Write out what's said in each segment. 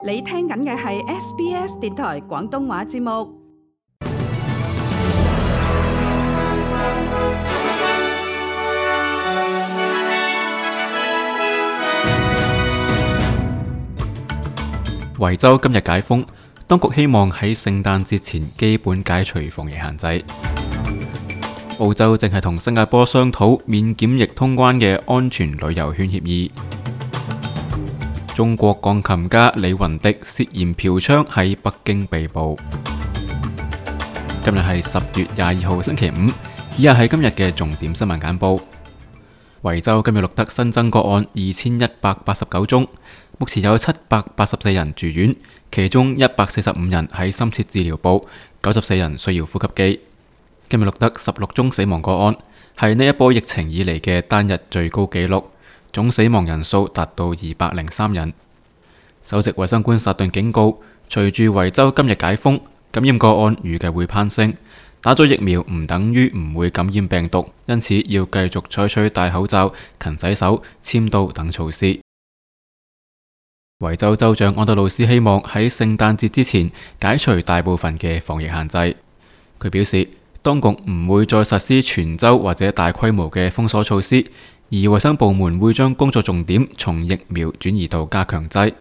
你聽緊嘅係 SBS 電台廣東話節目。維州今日解封，當局希望喺聖誕節前基本解除防疫限制。澳洲正係同新加坡商討免檢疫通關嘅安全旅遊圈協議。中國鋼琴家李雲迪涉嫌嫖娼喺北京被捕。今日係10月22號星期五，以下係今日嘅重點新聞簡報。維州今日錄得新增個案2189宗，目前有784人住院，其中145人喺深切治療部，94人需要呼吸機。今日錄得16宗死亡個案，係呢一波疫情以嚟嘅單日最高紀錄，總死亡人數達到203人。首席衛生官薩頓警告，隨住維州今日解封，感染個案預計會攀升。打咗疫苗唔等於唔會感染病毒，因此要繼續採取戴口罩、勤洗手、簽到等措施。維州州長安德魯斯希望喺聖誕節之前解除大部分嘅防疫限制。佢表示，當局唔會再實施全州或者大規模嘅封鎖措施，而衛生部門會將工作重點從疫苗轉移到加強劑。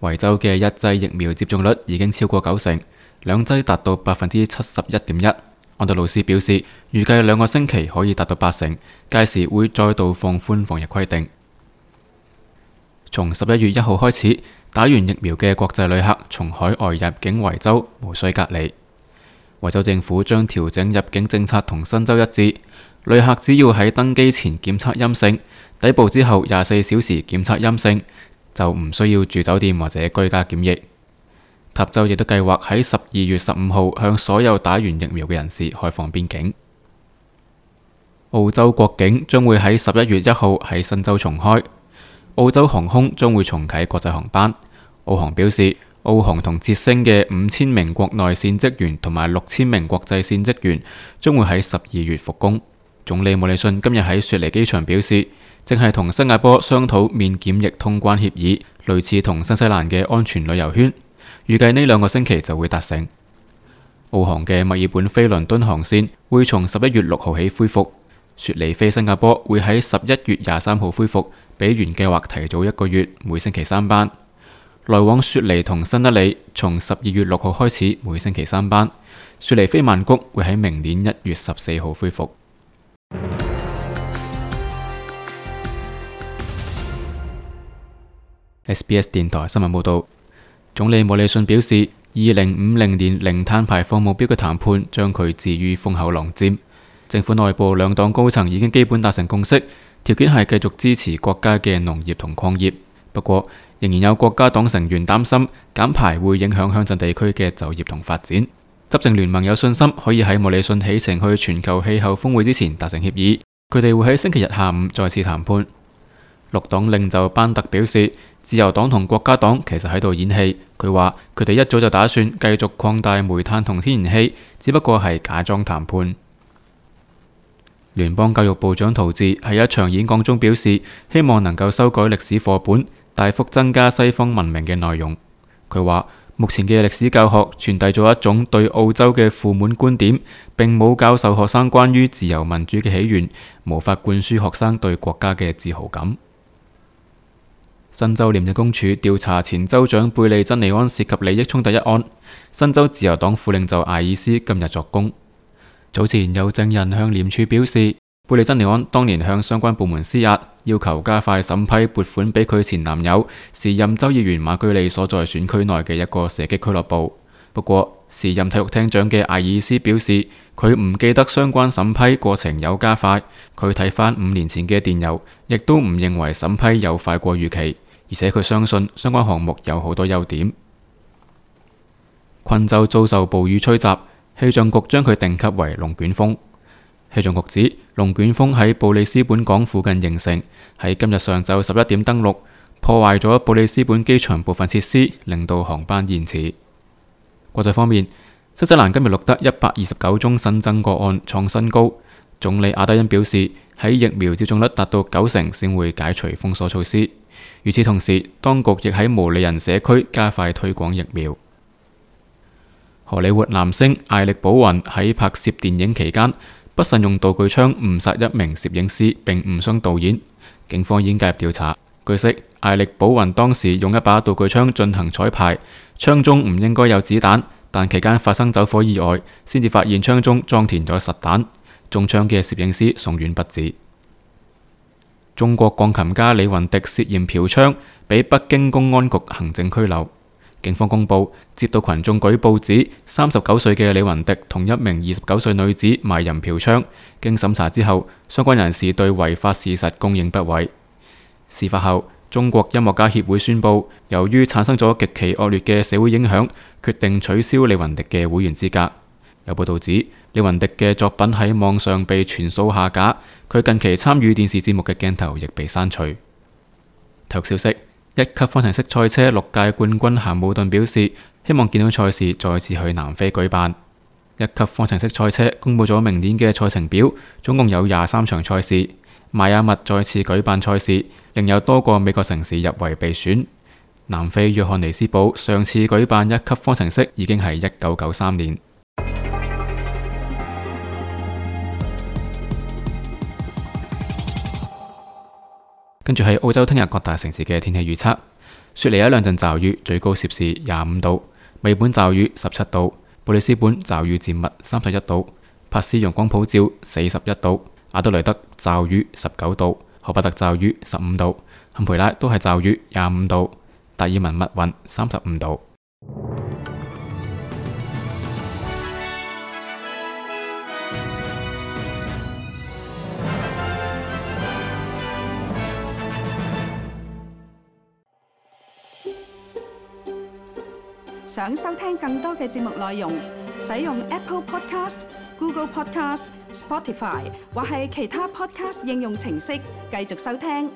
維州嘅一劑疫苗接種率已經超過90%，兩劑達到71.1%。安德魯斯表示，預計2個星期可以達到80%，屆時會再度放寬防疫規定。從11月1號開始，打完疫苗嘅國際旅客從海外入境維州無需隔離。維州政府將調整入境政策同新州一致，旅客只要喺登機前檢測陰性，抵埗之後24小時檢測陰性，就唔需要住酒店或者居家檢疫。塔州亦都計劃喺12月15號向所有打完疫苗嘅人士開放邊境。澳洲國境將會喺11月1號喺新州重開。澳洲航空將會重啟國際航班。澳航表示，澳航同捷星嘅5000名國內線職員同埋6000名國際線職員將會喺12月復工。總理莫里遜今日喺雪梨機場表示，正係同新加坡商討免檢疫通關協議，類似同新西蘭嘅安全旅遊圈，預計呢2個星期就會達成。澳航嘅墨爾本飛倫敦航線會從11月6號起恢復，雪梨飛新加坡會喺11月23號恢復，比原計劃提早1個月，每星期3班。來往雪梨同新德里從12月6號開始，每星期3班。雪梨飛曼谷會喺明年1月14號恢復。SBS 電台新聞報道，總理莫里遜表示，2050年零碳排放目標嘅談判將佢置於風口浪尖。政府內部兩黨高層已經基本達成共識，條件係繼續支持國家嘅農業同礦業。不過，仍然有國家黨成員擔心減排會影響鄉鎮地區嘅就業同發展。執政聯盟有信心可以喺莫里遜起程去全球氣候峰會之前達成協議。佢哋會喺星期日下午再次談判。綠黨領袖班特表示，自由黨同國家黨其實喺度演戲。佢話佢哋一早就打算繼續擴大煤炭同天然氣，只不過係假裝談判。聯邦教育部長陶治喺一場演講中表示，希望能夠修改歷史課本，大幅增加西方文明嘅內容。佢話目前嘅歷史教學傳遞咗一種對澳洲嘅負面觀點，並冇教授學生關於自由民主嘅起源，無法灌輸學生對國家嘅自豪感。新州廉政公署調查前州長貝利珍尼安涉及利益衝突一案，新州自由黨副領袖艾爾斯今日作供。早前有證人向廉署表示，貝利珍尼安當年向相關部門施壓，要求加快審批撥款俾佢前男友時任州議員馬居利所在選區內嘅一個射擊俱樂部。不過，時任體育廳長嘅艾爾斯表示，佢唔記得相關審批過程有加快，佢睇返5年前嘅電郵，亦都唔認為審批有快過預期。而且佢相信相關項目有好多優點。昆州遭受暴雨吹襲，氣象局將佢定級為龍捲風。氣象局指龍捲風喺布里斯本港附近形成，喺今日上晝11點登陸，破壞咗布里斯本機場部分設施，令到航班延遲。國際方面，新西蘭今日錄得129宗新增個案，創新高。總理阿德恩表示，喺疫苗接種率達到90%先會解除封鎖措施。與此同時，當局亦喺毛利人社區加快推廣疫苗。荷里活男星艾力保雲喺拍攝電影期間不慎用道具槍誤殺一名攝影師並誤傷導演，警方已經介入調查。據悉，艾力保雲當時用一把道具槍進行彩排，槍中唔應該有子彈，但期間發生走火意外，先至發現槍中裝填咗實彈。中槍嘅攝影師送院不治。中國鋼琴家李雲迪涉嫌嫖娼，被北京公安局行政拘留。警方公布，接到群眾舉報指39歲嘅李雲迪同一名29歲女子賣淫嫖娼，經審查之後，相關人士對違法事實供認不諱。事發後，中國音樂家協會宣布，由於產生咗極其惡劣嘅社會影響，決定取消李雲迪嘅會員資格。有報道指，李雲迪嘅作品喺網上被全數下架，佢近期參與電視節目嘅鏡頭亦被刪除。體育消息：1級方程式賽車6屆冠軍咸姆頓表示，希望見到賽事再次去南非舉辦。1級方程式賽車公布咗明年嘅賽程表，總共有23場賽事。邁阿密再次舉辦賽事，另有多個美國城市入圍備選。南非約翰尼斯堡上次舉辦1級方程式已經係1993年。跟住係澳洲聽日各大城市嘅天氣預測：雪梨一兩陣驟雨，最高攝氏25度；墨爾本驟雨17度；布里斯本驟雨漸密31度；珀斯陽光普照41度；阿德雷德驟雨19度；荷伯特驟雨15度；坎培拉都係驟雨25度；達爾文密雲35度。想收聽更多嘅節目內容，使用 Apple Podcast、Google Podcast、Spotify 或係其他 Podcast 應用程式繼續收聽。